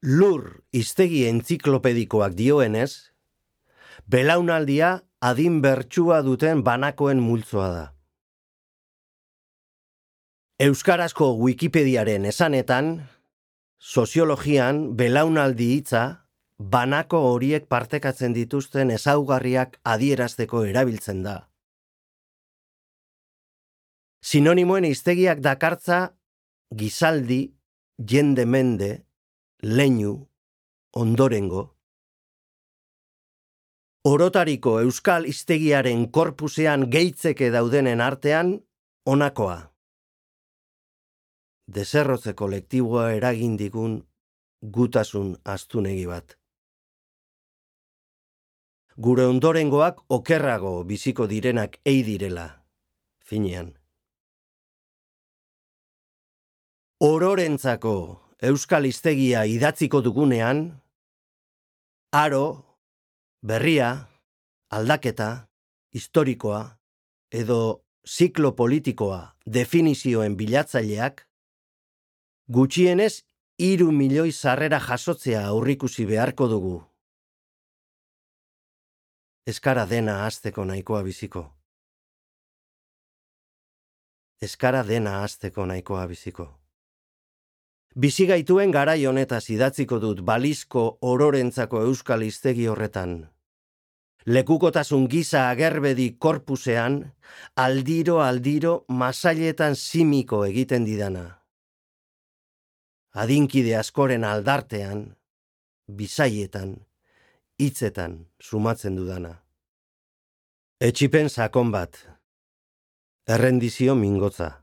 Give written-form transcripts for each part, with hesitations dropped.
Lur hiztegi entziklopedikoak dioenez, belaunaldia adin bertsua duten banakoen multzoa da. Euskarazko Wikipediaren esanetan, soziologian belaunaldi hitza banako horiek partekatzen dituzten ezaugarriak adierazteko erabiltzen da. Sinonimoen hiztegiak dakartza gizaldi, jende mende, leinu, ondorengo. Orotariko euskal hiztegiaren korpusean gehitzeke daudenen artean, honakoa. Deserrotze kolektiboa eragin digun gutasun astunegi bat. Gure ondorengoak okerrago biziko direnak ei direla, finean. Ororentzako euskal hiztegia idatziko dugunean, aro, berria, aldaketa, historikoa edo ziklo politikoa definizioen bilatzaileak, gutxienez 3 milioi sarrera jasotzea aurrikusi beharko dugu. Eskara dena hasteko nahikoa biziko. Eskara dena hasteko nahikoa biziko. Bizigaituen garai honetaz idatziko dut balizko ororentzako euskal hiztegi horretan. Lekukotasun giza agerbedi korpusean, aldiro masailetan simiko egiten didana. Adinkide askoren aldartean, bisaietan, hitzetan sumatzen dudana. Etsipen sakon bat. Errendizio mingotza.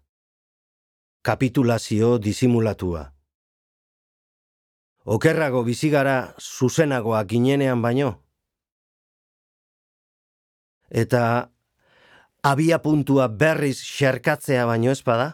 Kapitulazio disimulatua. Okerrago bizigara zuzenagoa ginenean baino. Eta abia puntua berriz xerkatzea baino ez bada?